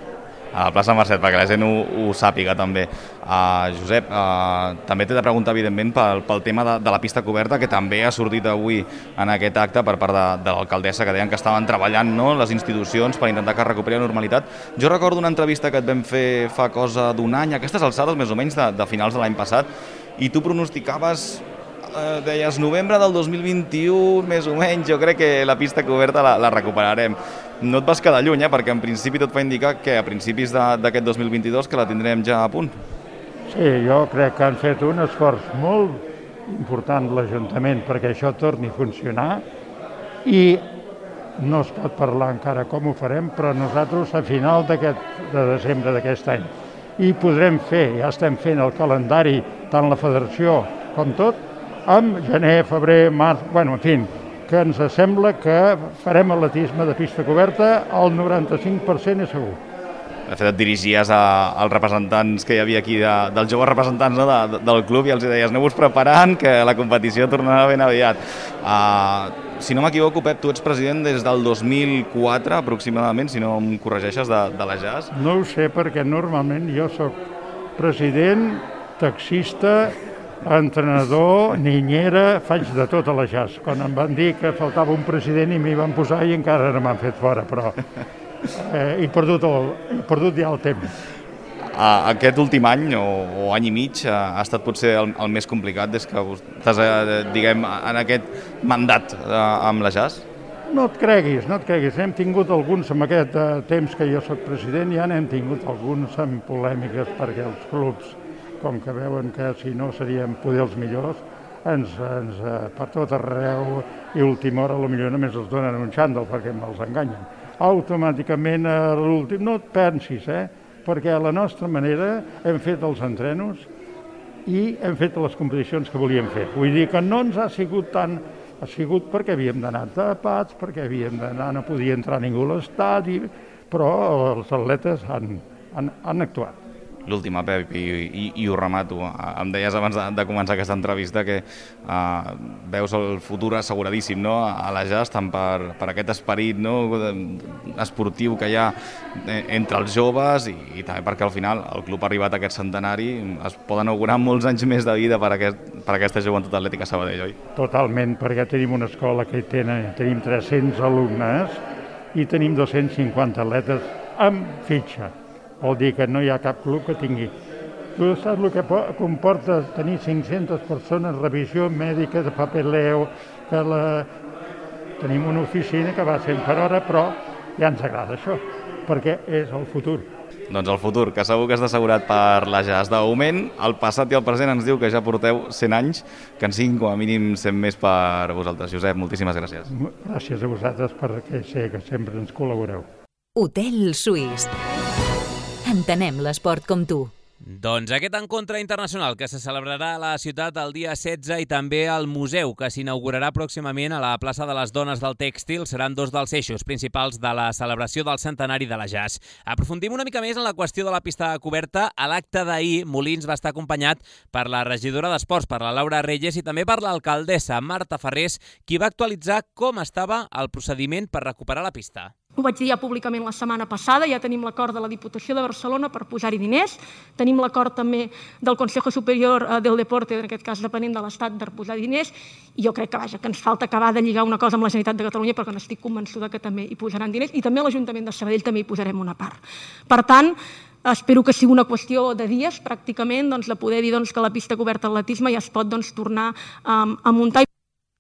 A la plaça Mercet, perquè la gent ho, ho sàpiga també. Uh, Josep, uh, també t'he de preguntar, evidentment, pel, pel tema de, de la pista coberta, que també ha sortit avui en aquest acte per part de, de l'alcaldessa, que deien que estaven treballant, no?, les institucions per intentar que recuperi la normalitat. Jo recordo una entrevista que et vam fer fa cosa d'un any, aquestes alçades més o menys de, de finals de l'any passat, i tu pronosticaves... Eh, deies novembre del dos mil vint-i-u, més o menys, jo crec que la pista coberta la, la recuperarem. No et vas quedar lluny, eh? Perquè en principi tot fa indicar que a principis d'aquest dos mil vint-i-dos que la tindrem ja a punt. Sí, jo crec que han fet un esforç molt important l'Ajuntament perquè això torni a funcionar i no es pot parlar encara com ho farem, però nosaltres a final d'aquest de desembre d'aquest any i podrem fer, ja estem fent el calendari, tant la federació com tot, amb gener, febrer, març, bueno, en fi, que ens sembla que farem atletisme de pista coberta al noranta-cinc per cent és segur. De fet, et dirigies a, als representants que hi havia aquí, de, dels joves representants, no?, de, del club, i els deies, aneu-vos preparant, que la competició tornarà ben aviat. Uh, si no m'equivoco, Pep, tu ets president des del dos mil quatre, aproximadament, si no em corregeixes, de, de la J A S. No ho sé, perquè normalment jo sóc president, taxista, entrenador, niñera, faig de tot a la J A S. Quan em van dir que faltava un president i m'hi van posar i encara no m'han fet fora, però eh, he, perdut el, he perdut ja el temps. Aquest últim any o, o any i mig ha estat potser el, el més complicat des que estàs, diguem, en aquest mandat amb la J A S? No et creguis, no et creguis. Hem tingut alguns, en aquest eh, temps que jo soc president, ja n'hem tingut alguns amb polèmiques perquè els clubs, com que veuen que si no seríem poder els millors, ens, ens per tot arreu i a última hora potser només els donen un xàndol perquè me'ls enganyen. Automàticament a l'últim, no et pensis, eh? Perquè a la nostra manera hem fet els entrenos i hem fet les competicions que volíem fer. Vull dir que no ens ha sigut tant, ha sigut perquè havíem d'anar tapats, perquè havíem d'anar, no podia entrar ningú a l'estadi, però els atletes han, han, han actuat. L'última, Pep, i, i, i ho remato. Em deies abans de, de començar aquesta entrevista que uh, veus el futur asseguradíssim, no?, a la J A S, tant per, per aquest esperit, no?, esportiu que hi ha entre els joves i, i també perquè al final el club ha arribat a aquest centenari, es poden augurar molts anys més de vida per, aquest, per aquesta joventut atlètica a Sabadell, oi? Totalment, perquè tenim una escola que tenen, tenim tres-cents alumnes i tenim dos-cents cinquanta atletes amb fitxa. Vol dir que no hi ha cap club que tingui. Tu saps el que comporta tenir cinc-centes persones, revisió mèdica, de papeleo, que la... tenim una oficina que va cent per hora, però ja ens agrada això, perquè és el futur. Doncs el futur, que segur que està assegurat per la J A S. De moment, el passat i el present ens diu que ja porteu cent anys, que en siguin com a mínim cent més per vosaltres. Josep, moltíssimes gràcies. Gràcies a vosaltres perquè sé que sempre ens col·laboreu. Hotel Suís. Entenem l'esport com tu. Doncs aquest encontre internacional que se celebrarà a la ciutat el dia setze i també al museu que s'inaugurarà pròximament a la plaça de les Dones del Tèxtil seran dos dels eixos principals de la celebració del centenari de la Jazz. Aprofundim una mica més en la qüestió de la pista coberta. A l'acte d'ahir, Molins va estar acompanyat per la regidora d'Esports, per la Laura Reyes, i també per l'alcaldessa Marta Ferrés, qui va actualitzar com estava el procediment per recuperar la pista. Ho vaig dir ja públicament la setmana passada, ja tenim l'acord de la Diputació de Barcelona per posar-hi diners, tenim l'acord també del Consejo Superior del Deporte, en aquest cas depenent de l'Estat, per posar diners, i jo crec que, vaja, que ens falta acabar de lligar una cosa amb la Generalitat de Catalunya, perquè n'estic convençuda que també hi posaran diners, i també a l'Ajuntament de Sabadell també hi posarem una part. Per tant, espero que sigui una qüestió de dies, pràcticament, doncs, de poder dir doncs, que la pista coberta d'atletisme ja es pot doncs, tornar um, a muntar.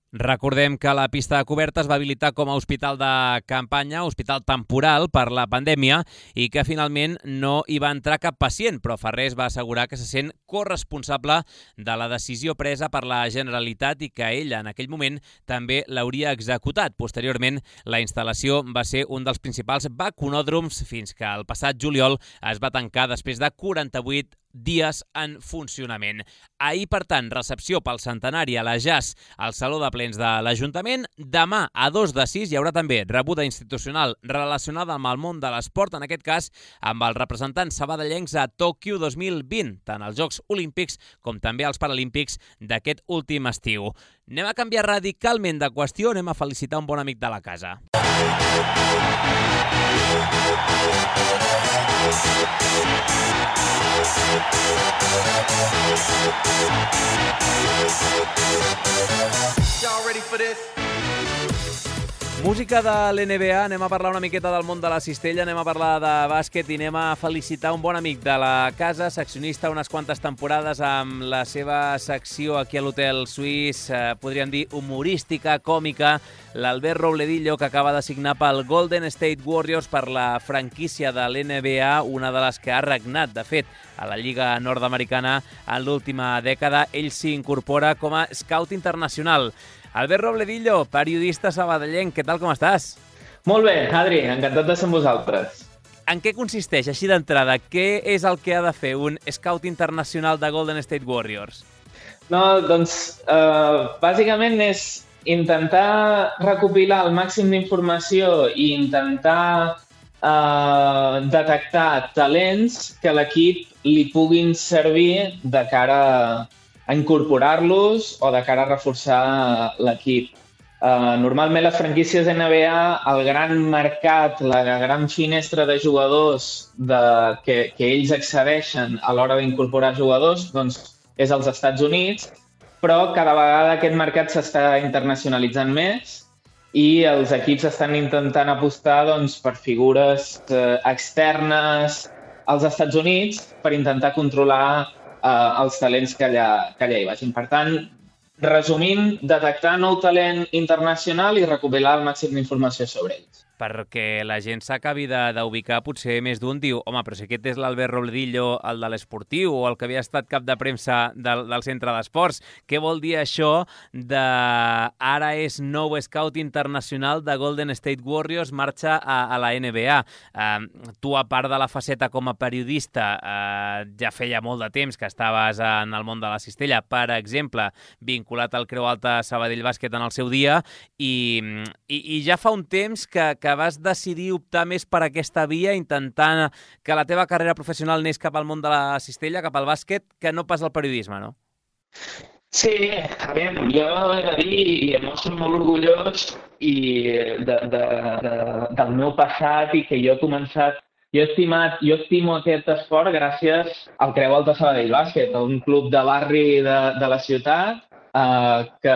Recordem que la pista coberta es va habilitar com a hospital de campanya, hospital temporal per la pandèmia, i que finalment no hi va entrar cap pacient, però Ferrés va assegurar que se sent corresponsable de la decisió presa per la Generalitat i que ella en aquell moment també l'hauria executat. Posteriorment, la instal·lació va ser un dels principals vacunòdroms fins que el passat juliol es va tancar després de quaranta-vuit dies en funcionament. Ahir, per tant, recepció pel centenari a la Jazz al Saló de Plens de l'Ajuntament. Demà, a dos de sis, hi haurà també rebuda institucional relacionada amb el món de l'esport, en aquest cas amb els representants sabadellencs a Tòquio dos mil vint, tant als Jocs Olímpics com també als Paralímpics d'aquest últim estiu. Anem a canviar radicalment de qüestió, anem a felicitar un bon amic de la casa. Y'all ready for this? Música de l'N B A, anem a parlar una miqueta del món de la cistella, anem a parlar de bàsquet i anem a felicitar un bon amic de la casa, seccionista unes quantes temporades amb la seva secció aquí a l'Hotel Suís, eh, podríem dir humorística, còmica, l'Albert Robledillo, que acaba de signar pel Golden State Warriors per la franquícia de l'N B A, una de les que ha regnat, de fet, a la Lliga Nord-Americana en l'última dècada. Ell s'hi incorpora com a scout internacional. Albert Robledillo, periodista sabadellenc, què tal, com estàs? Molt bé, Adri, encantat de ser amb vosaltres. En què consisteix, així d'entrada? Què és el que ha de fer un scout internacional de Golden State Warriors? No, doncs, eh, bàsicament és intentar recopilar el màxim d'informació i intentar eh, detectar talents que l'equip li puguin servir de cara a a incorporar-los o de cara a reforçar l'equip. Uh, normalment les franquícies N B A, el gran mercat, la gran finestra de jugadors de, que, que ells accedeixen a l'hora d'incorporar jugadors doncs, és als Estats Units, però cada vegada aquest mercat s'està internacionalitzant més i els equips estan intentant apostar doncs, per figures eh, externes als Estats Units per intentar controlar Uh, els talents que allà, que allà hi vagin. Per tant, resumint, detectar nou talent internacional i recopilar el màxim d'informació sobre ells. Perquè la gent s'acabi d'ubicar, potser més d'un diu, home, però si aquest és l'Albert Robledillo, el de l'Esportiu, o el que havia estat cap de premsa del, del centre d'esports. Què vol dir això de ara és nou scout internacional de Golden State Warriors, marxa a, a la N B A? Uh, tu, a part de la faceta com a periodista, uh, ja feia molt de temps que estaves en el món de la cistella, per exemple, vinculat al Creu Alta Sabadell Bàsquet en el seu dia, i, i, i ja fa un temps que, que vas decidir optar més per aquesta via, intentant que la teva carrera professional anés cap al món de la cistella, cap al bàsquet, que no pas al periodisme, no? Sí, a veure, jo he de dir, i em mostro molt orgullós i de, de, de, del meu passat i que jo he començat, jo he estimat, jo estimo aquest esport gràcies al Creu Alta Sabadell Bàsquet, un club de barri de, de la ciutat, Uh, que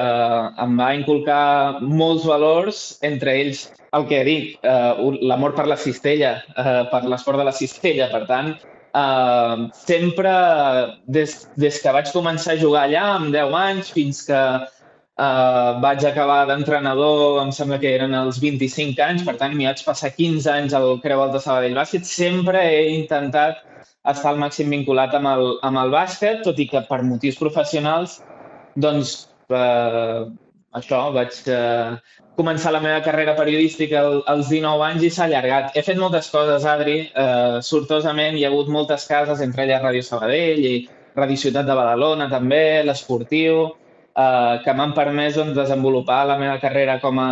em va inculcar molts valors, entre ells el que he dit, uh, l'amor per la cistella, uh, per l'esport de la cistella. Per tant, uh, sempre, des, des que vaig començar a jugar allà, amb deu anys, fins que uh, vaig acabar d'entrenador, em sembla que eren els vint-i-cinc anys, per tant, m'hi vaig passar quinze anys al Creu Alta Sabadell Bàsquet, sempre he intentat estar al màxim vinculat amb el, amb el bàsquet, tot i que per motius professionals doncs, eh, això, vaig, eh, començar la meva carrera periodística als dinou anys i s'ha allargat. He fet moltes coses, Adri, eh, sortosament hi ha hagut moltes cases, entre elles Ràdio Sabadell i Ràdio Ciutat de Badalona també, l'Esportiu, eh, que m'han permès doncs, desenvolupar la meva carrera com a,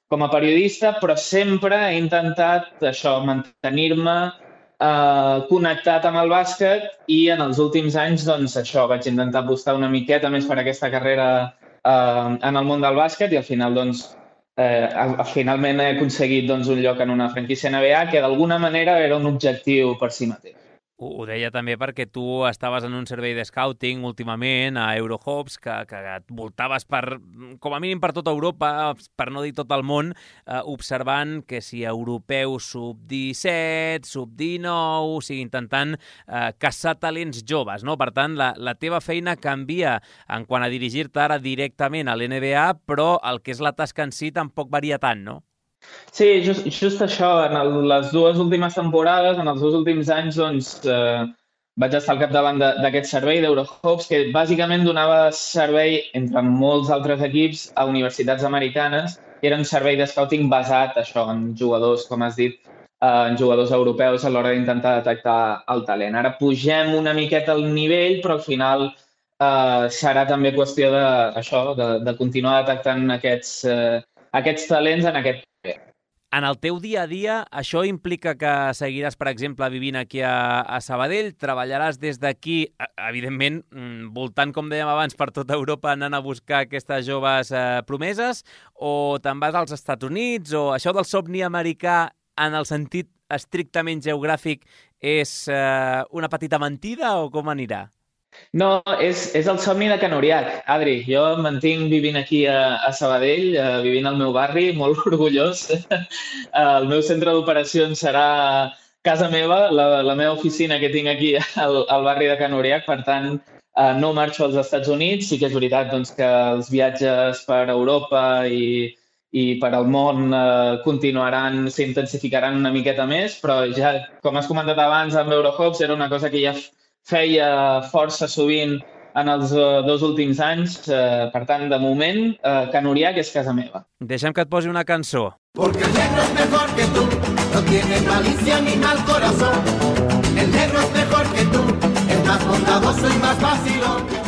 com a periodista, però sempre he intentat això, mantenir-me eh, connectat amb el bàsquet i en els últims anys doncs, això, vaig intentar apostar una miqueta més per aquesta carrera eh, en el món del bàsquet i al final doncs, Eh, finalment he aconseguit doncs, un lloc en una franquícia N B A que d'alguna manera era un objectiu per si mateix. Ho deia també perquè tu estaves en un servei de scouting últimament a Eurohopes, que, que et voltaves per, com a mínim per tota Europa, per no dir tot el món, eh, observant que si europeus sub disset, sub dinou, o sigui, intentant eh, caçar talents joves, no? Per tant, la, la teva feina canvia en quant a dirigir-te ara directament a l'N B A, però el que és la tasca en si tampoc varia tant, no? Sí, just, just això, en el, les dues últimes temporades, en els dos últims anys, doncs, eh, vaig estar al capdavant d'aquest servei d'Eurohopes, que bàsicament donava servei, entre molts altres equips, a universitats americanes, i era un servei de scouting basat, això, en jugadors, com has dit, eh, en jugadors europeus a l'hora d'intentar detectar el talent. Ara pugem una miqueta el nivell, però al final eh, serà també qüestió de, això, de, de continuar detectant aquests, eh, aquests talents en aquest. En el teu dia a dia, això implica que seguiràs, per exemple, vivint aquí a, a Sabadell, treballaràs des d'aquí, evidentment, voltant, com dèiem abans, per tota Europa, anant a buscar aquestes joves eh, promeses, o te'n vas als Estats Units, o això del somni americà, en el sentit estrictament geogràfic, és eh, una petita mentida o com anirà? No, és, és el somni de Can Uriach, Adri. Jo em mantinc vivint aquí a, a Sabadell, eh, vivint al meu barri, molt orgullós. El meu centre d'operacions serà casa meva, la, la meva oficina que tinc aquí al, al barri de Can Uriach, per tant, eh, no marxo als Estats Units. Sí que és veritat doncs, que els viatges per Europa i, i per al món eh, continuaran, s'intensificaran una miqueta més, però ja, com has comentat abans amb Eurohopes, era una cosa que ja feia força sovint en els uh, dos últims anys. Uh, per tant, de moment, uh, Can Uriach és casa meva. Deixa'm que et posi una cançó. Porque el negro es mejor que tú, no tiene malicia ni mal corazón. El negro es mejor que tú, es más bondadoso y más vacilón.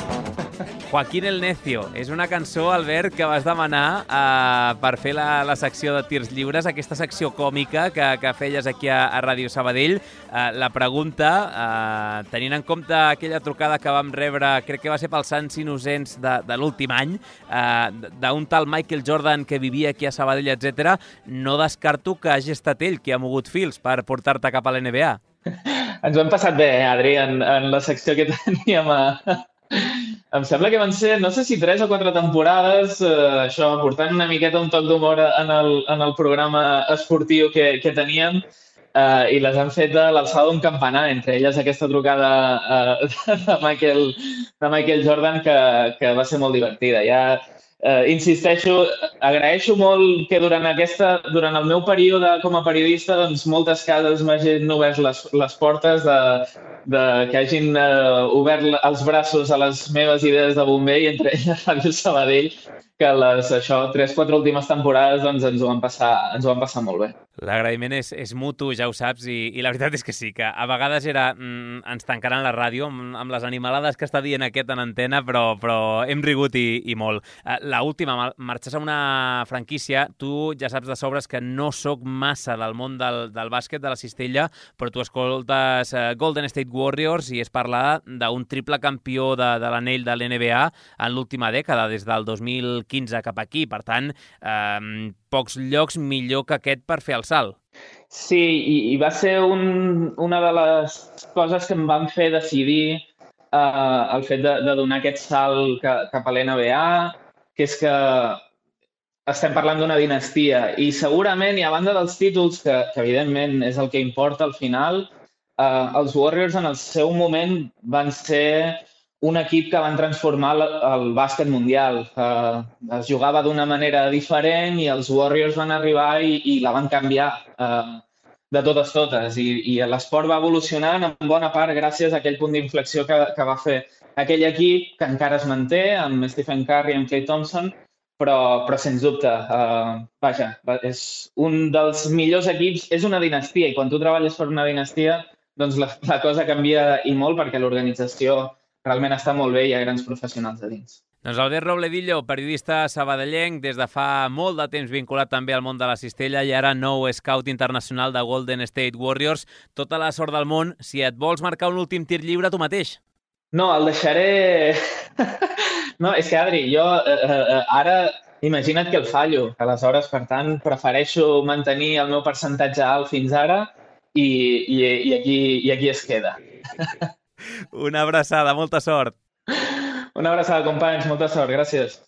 Joaquín el Necio. És una cançó, Albert, que vas demanar eh, per fer la, la secció de tirs lliures, aquesta secció còmica que, que feies aquí a, a Ràdio Sabadell. Eh, la pregunta, eh, tenint en compte aquella trucada que vam rebre, crec que va ser pels Sants Innocents de, de l'últim any, eh, d'un tal Michael Jordan que vivia aquí a Sabadell, etcètera, no descarto que hagi estat ell qui ha mogut fils per portar-te cap a l'N B A. Ens ho hem passat bé, Adri, en, en la secció que teníem a... Em sembla que van ser, no sé si tres o quatre temporades, eh, això, portant una miqueta un toc d'humor en, el, en el programa esportiu que, que teníem, eh, i les han fet a l'alçada d'un campanar, entre elles aquesta trucada eh, de, Michael, de Michael Jordan que, que va ser molt divertida. Ja, eh, insisteixo, agraeixo molt que durant, aquesta, durant el meu període com a periodista doncs, moltes cases m'hagin obert les, les portes de, de, que hagin uh, obert els braços a les meves idees de bomber i entre elles Ràdio Sabadell, que les això, tres, quatre últimes temporades doncs, ens, ho van passar, ens ho van passar molt bé. L'agraïment és, és mutu, ja ho saps, i, i la veritat és que sí, que a vegades era mm, ens tancaran la ràdio amb, amb les animalades que està dient aquest en antena, però, però hem rigut i, i molt. Uh, L'última, marxes a una franquícia, tu ja saps de sobres que no sóc massa del món del, del bàsquet, de la cistella, però tu escoltes uh, Golden State Warriors i es parla d'un triple campió de, de l'anell de l'N B A en l'última dècada, des del dos mil quinze cap aquí. Per tant, eh, pocs llocs millor que aquest per fer el salt. Sí, i, i va ser un, una de les coses que em van fer decidir eh, el fet de, de donar aquest salt que, cap a l'N B A, que és que estem parlant d'una dinastia i segurament, i a banda dels títols, que, que evidentment és el que importa al final, eh, els Warriors en el seu moment van ser un equip que van transformar el, el bàsquet mundial. Uh, es jugava d'una manera diferent i els Warriors van arribar i, i la van canviar uh, de totes totes. I, i l'esport va evolucionant en bona part gràcies a aquell punt d'inflexió que, que va fer aquell equip, que encara es manté, amb Stephen Curry i amb Klay Thompson, però, però sens dubte, uh, vaja, és un dels millors equips, és una dinastia, i quan tu treballes per una dinastia, doncs la, la cosa canvia i molt perquè l'organització realment està molt bé i hi ha grans professionals a dins. Doncs Albert Robledillo, periodista sabadellenc, des de fa molt de temps vinculat també al món de la cistella i ara nou scout internacional de Golden State Warriors. Tota la sort del món. Si et vols marcar un últim tir lliure, tu mateix. No, el deixaré... No, és que, Adri, jo eh, eh, ara imagina't que el fallo. Aleshores, per tant, prefereixo mantenir el meu percentatge alt fins ara i, i, i, aquí, i aquí es queda. Una abraçada, molta sort. Una abraçada, companys, molta sort, gràcies.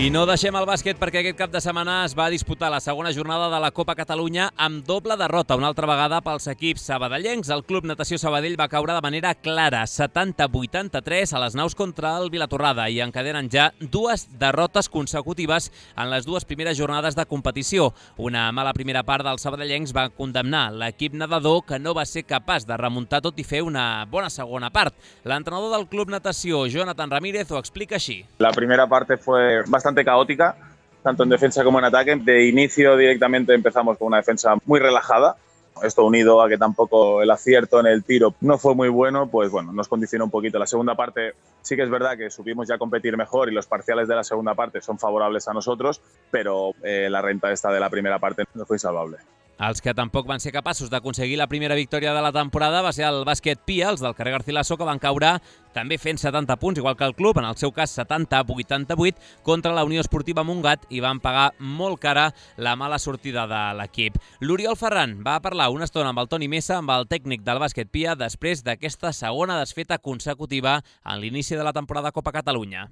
I no deixem el bàsquet perquè aquest cap de setmana es va disputar la segona jornada de la Copa Catalunya amb doble derrota, una altra vegada pels equips sabadellencs. El Club Natació Sabadell va caure de manera clara, setanta a vuitanta-tres a les naus contra el Vilatorrada i encadenen ja dues derrotes consecutives en les dues primeres jornades de competició. Una mala primera part dels sabadellencs va condemnar l'equip nedador que no va ser capaç de remuntar tot i fer una bona segona part. L'entrenador del Club Natació, Jonathan Ramírez, ho explica així. La primera parte fue bastante caótica, tanto en defensa como en ataque. De inicio directamente empezamos con una defensa muy relajada. Esto unido a que tampoco el acierto en el tiro no fue muy bueno, pues bueno, nos condicionó un poquito. La segunda parte sí que es verdad que supimos ya competir mejor y los parciales de la segunda parte son favorables a nosotros, pero eh, la renta esta de la primera parte no fue insalvable. Els que tampoc van ser capaços d'aconseguir la primera victòria de la temporada va ser el bàsquet Pia, els del carrer Garcilaso, que van caure també fent setanta punts, igual que el club, en el seu cas setanta a vuitanta-vuit, contra la Unió Esportiva Montgat i van pagar molt cara la mala sortida de l'equip. L'Oriol Ferran va parlar una estona amb el Toni Mesa, amb el tècnic del bàsquet Pia, després d'aquesta segona desfeta consecutiva en l'inici de la temporada Copa Catalunya.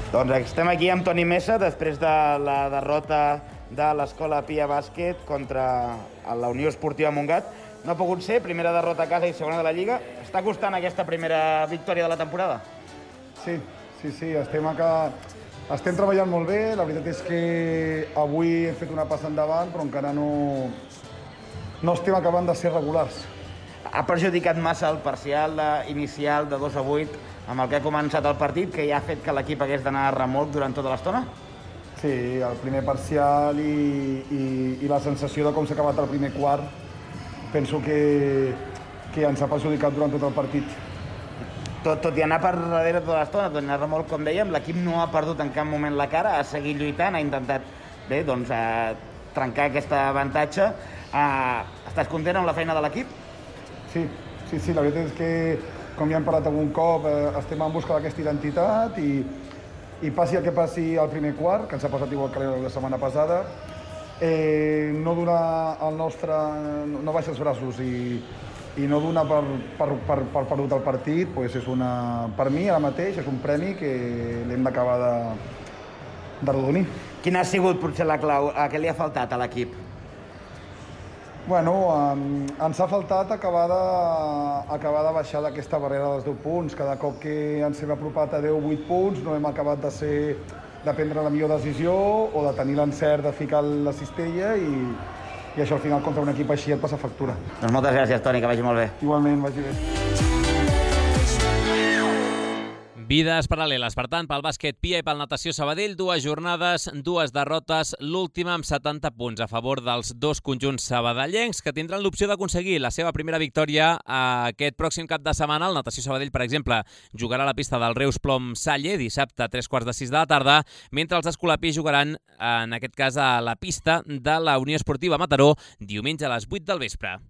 Doncs estem aquí amb Toni Mesa després de la derrota de l'Escola Pia Bàsquet contra la Unió Esportiva Montgat. No ha pogut ser, primera derrota a casa i segona de la Lliga. Està costant aquesta primera victòria de la temporada? Sí, sí, sí, estem, acá... estem treballant molt bé. La veritat és que avui hem fet una passa endavant, però encara no, no estem acabant de ser regulars. Ha perjudicat massa el parcial inicial de dos a vuit amb el que ha començat el partit, que ja ha fet que l'equip hagués d'anar a remolc durant tota l'estona? Sí, el primer parcial i, i, i la sensació de com s'ha acabat el primer quart penso que, que ens ha perjudicat durant tot el partit. Tot, tot i anar per darrere tota l'estona, tot i anar a remolc, com dèiem, l'equip no ha perdut en cap moment la cara, ha seguit lluitant, ha intentat bé, doncs, eh, trencar aquest avantatge. Eh, estàs content amb la feina de l'equip? Sí, sí, sí, la veritat és que com ja hem parlat algun cop, eh, estem en busca d'aquesta identitat i, i passi el que passi al primer quart, que ens ha passat igual que la setmana passada, eh, no donar el nostre... no baixar els braços i, i no donar per, per, per, per perdut el partit, pues és una, per mi ara mateix és un premi que l'hem d'acabar de, de rodonir. Quina ha sigut potser la clau? A què li ha faltat a l'equip? Bueno, um, ens ha faltat acabar de, acabar de baixar d'aquesta barrera dels deu punts. Cada cop que ens hem apropat a deu o vuit punts no hem acabat de, ser, de prendre la millor decisió o de tenir l'encert de ficar la cistella i, i això al final contra un equip així et passa factura. Doncs moltes gràcies, Toni, que vagi molt bé. Igualment, vagi bé. Vides paral·leles, per tant, pel bàsquet Pia i pel Natació Sabadell, dues jornades, dues derrotes, l'última amb setanta punts a favor dels dos conjunts sabadellencs que tindran l'opció d'aconseguir la seva primera victòria aquest pròxim cap de setmana. El Natació Sabadell, per exemple, jugarà a la pista del Reus Plom Salle dissabte a tres quarts de sis de la tarda, mentre els escolapis jugaran, en aquest cas, a la pista de la Unió Esportiva Mataró diumenge a les vuit del vespre.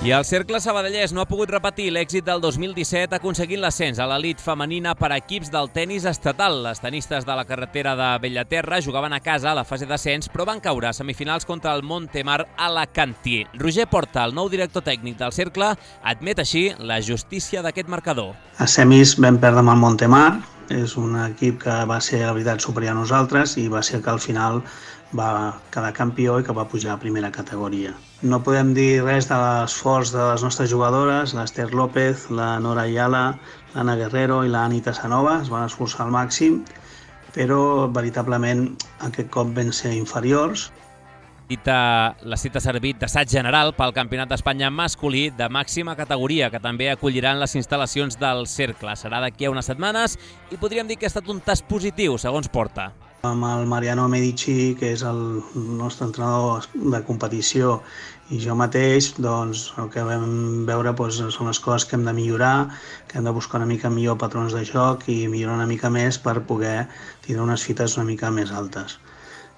I el cercle sabadellès no ha pogut repetir l'èxit del dos mil disset aconseguint l'ascens a l'elit femenina per equips del tenis estatal. Les tenistes de la carretera de Bellaterra jugaven a casa a la fase d'ascens, però van caure a semifinals contra el Montemar Alacantí. Roger Porta, el nou director tècnic del cercle, admet així la justícia d'aquest marcador. A semis vam perdre amb el Montemar, és un equip que va ser, la veritat, superior a nosaltres i va ser que al final va quedar campió i que va pujar a primera categoria. No podem dir res de l'esforç de les nostres jugadores, l'Ester López, la Nora Ayala, l'Anna Guerrero i la Anita Sanova, es van esforçar al màxim, però veritablement aquest cop van ser inferiors. Cita, la cita ha servit d'assaig general pel Campionat d'Espanya masculí de màxima categoria, que també acolliran les instal·lacions del Cercle. Serà d'aquí a unes setmanes i podríem dir que ha estat un tast positiu, segons Porta. Amb el Mariano Medici, que és el nostre entrenador de competició, i jo mateix, doncs, el que vam veure doncs, són les coses que hem de millorar, que hem de buscar una mica millor patrons de joc i millorar una mica més per poder tindre unes fites una mica més altes.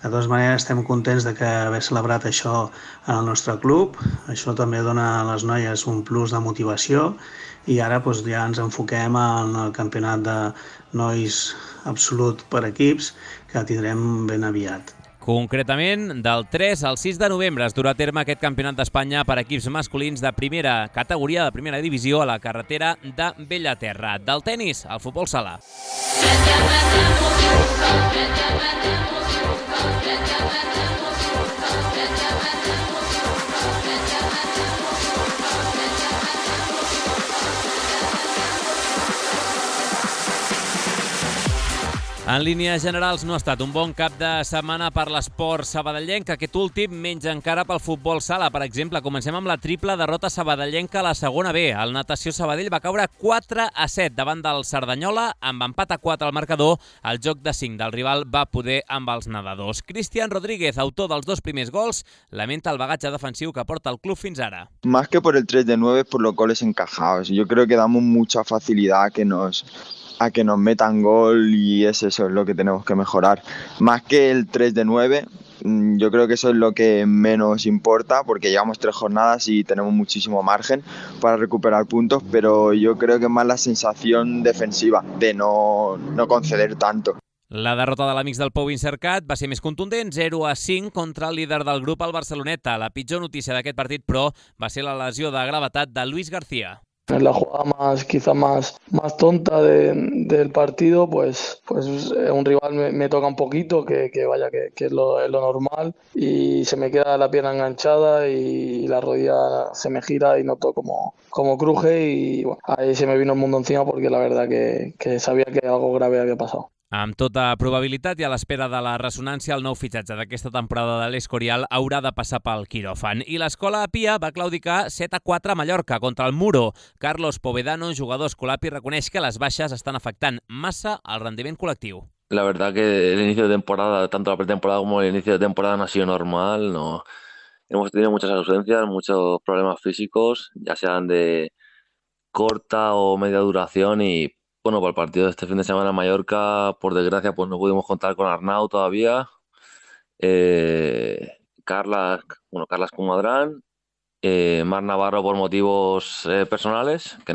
De totes maneres, estem contents de que haver celebrat això en el nostre club. Això també dona a les noies un plus de motivació i ara doncs, ja ens enfoquem en el campionat de nois absolut per equips que tindrem ben aviat. Concretament, del tres al sis de novembre es durà a terme aquest campionat d'Espanya per equips masculins de primera categoria, de primera divisió, a la carretera de Bellaterra. Del tennis al futbol sala. En línies generals no ha estat un bon cap de setmana per l'esport sabadellenc. Aquest últim menys encara pel futbol sala. Per exemple, comencem amb la triple derrota sabadellenca a la segona B. El Natació Sabadell va caure quatre a set davant del Cerdanyola. Amb empat a quatre al marcador, el joc de cinc del rival va poder amb els nedadors. Cristian Rodríguez, autor dels dos primers gols, lamenta el bagatge defensiu que porta el club fins ara. Más que por el tres de nueve, por los goles encajados. Yo creo que damos mucha facilidad a que nos... a que nos metan gol y es eso es lo que tenemos que mejorar. Más que el tres de nueve, yo creo que eso es lo que menos importa porque llevamos tres jornadas y tenemos muchísimo margen para recuperar puntos, pero yo creo que es más la sensación defensiva de no, no conceder tanto. La derrota de l'Amics del Pou Incercat va ser més contundent, zero a cinc contra el líder del grup, el Barceloneta. La pitjor notícia d'aquest partit, però, va ser la lesió de gravetat de Luis García. En la jugada más, quizá más, más tonta de, del partido, pues, pues un rival me, me toca un poquito, que, que vaya, que, que es, lo, es lo normal, y se me queda la pierna enganchada y la rodilla se me gira y noto como, como cruje y bueno, ahí se me vino el mundo encima porque la verdad que, que sabía que algo grave había pasado. Amb tota probabilitat i a l'espera de la ressonància, el nou fitxatge d'aquesta temporada de l'Escorial haurà de passar pel quiròfan. I l'escola Pia va claudicar set a quatre a Mallorca contra el Muro. Carlos Povedano, jugador escolapi, reconeix que les baixes estan afectant massa el rendiment col·lectiu. La verdad que el inicio de temporada, tanto la pretemporada como el inicio de temporada no ha sido normal. No. Hemos tenido muchas ausencias, muchos problemas físicos, ya sean de corta o media duración y bueno, para el partido de este fin de semana en Mallorca, por desgracia, pues no pudimos contar con Arnau todavía. Eh, Carlas, bueno, Carlas Comadrán, eh, Mar Navarro por motivos eh, personales. Que...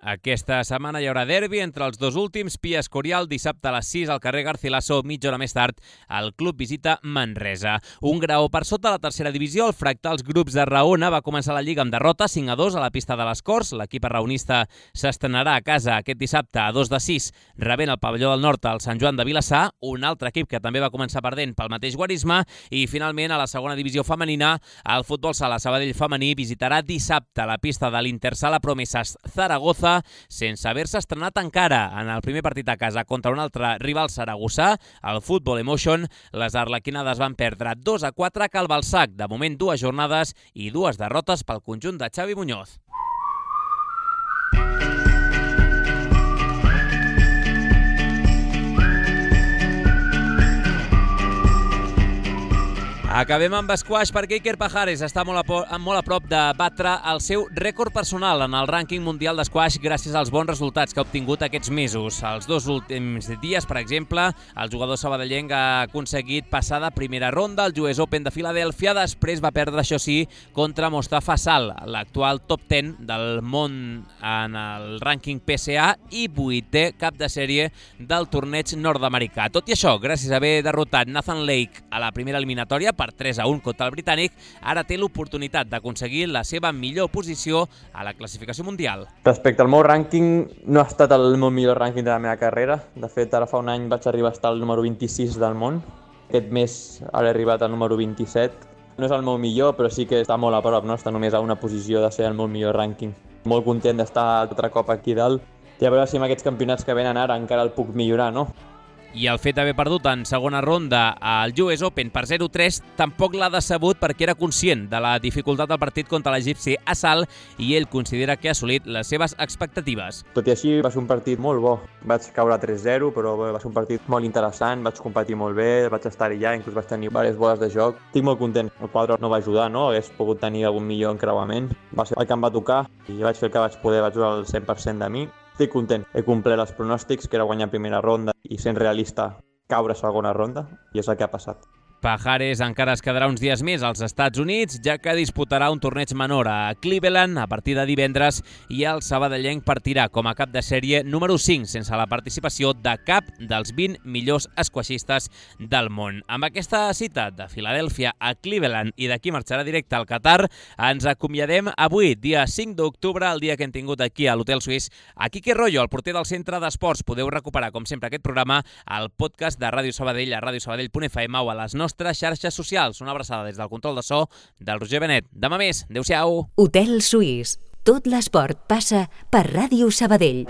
Aquesta setmana hi haurà derbi entre els dos últims. Pia Escorial, dissabte a les sis al carrer Garcilaso, mitja hora més tard, el club visita Manresa. Un graó per sota la tercera divisió, el Fractals Grups de Raona va començar la Lliga amb derrota cinc a dos a la pista de les Corts. L'equip arraonista s'estrenarà a casa aquest dissabte a dos de sis, rebent el pavelló del Nord al Sant Joan de Vilassar, un altre equip que també va començar perdent pel mateix guarisme. I finalment, a la segona divisió femenina, el futbol sala Sabadell femení visitarà dissabte la pista de l'Intersala Promesas Zaragoza, sense haver-se estrenat encara. En el primer partit a casa contra un altre rival saragossà, el Football Emotion, les arlequinades van perdre dos a quatre a Calbalsac. De moment, dues jornades i dues derrotes pel conjunt de Xavi Muñoz. Acabem amb squash perquè Iker Pajares està molt a, molt a prop de batre el seu rècord personal en el rànquing mundial d'esquash gràcies als bons resultats que ha obtingut aquests mesos. Els dos últims dies, per exemple, el jugador sabadellenc ha aconseguit passar de primera ronda al U S Open de Filadèlfia, després va perdre, això sí, contra Mostafa Sal, l'actual top deu del món en el rànquing P S A i vuitè cap de sèrie del torneig nord-americà. Tot i això, gràcies a haver derrotat Nathan Lake a la primera eliminatòria per tres a un contra el britànic, ara té l'oportunitat d'aconseguir la seva millor posició a la classificació mundial. Respecte al meu rànquing, no ha estat el meu millor rànquing de la meva carrera. De fet, ara fa un any vaig arribar a estar al número vint-i-sis del món. Aquest mes ara he arribat al número vint-i-set. No és el meu millor, però sí que està molt a prop, no? Està només a una posició de ser el meu millor rànquing. Molt content d'estar altre cop aquí dalt i a veure si amb aquests campionats que venen ara encara el puc millorar, no? I el fet d'haver perdut en segona ronda al U S Open per zero tres tampoc l'ha decebut perquè era conscient de la dificultat del partit contra l'egipci Assal i ell considera que ha assolit les seves expectatives. Tot i així va ser un partit molt bo. Vaig caure tres zero, però va ser un partit molt interessant, vaig competir molt bé, vaig estar allà, inclús vaig tenir diverses boles de joc. Estic molt content. El quadre no va ajudar, no? Hagués pogut tenir algun millor encreuament. Va ser el que em va tocar i vaig fer el que vaig poder, vaig jugar el cent per cent de mi. Estic content. He complert els pronòstics, que era guanyar primera ronda i, sent realista, caure segona ronda, i és el que ha passat. Pajares encara es quedarà uns dies més als Estats Units, ja que disputarà un torneig menor a Cleveland a partir de divendres i el sabadellenc partirà com a cap de sèrie número cinc sense la participació de cap dels vint millors esquaixistes del món. Amb aquesta cita de Filadèlfia a Cleveland i d'aquí marxarà directe al Qatar, ens acomiadem avui, dia cinc d'octubre, el dia que hem tingut aquí a l'Hotel Suís, a Quique Rollo, el porter del Centre d'Esports. Podeu recuperar, com sempre, aquest programa al podcast de Ràdio Sabadell a radiosabadell punt f m o a les nostres xarxes socials. Una abraçada des del control de so del Roger Benet. Demà més. Adéu-siau. Hotel Suís. Tot l'esport passa per Ràdio Sabadell.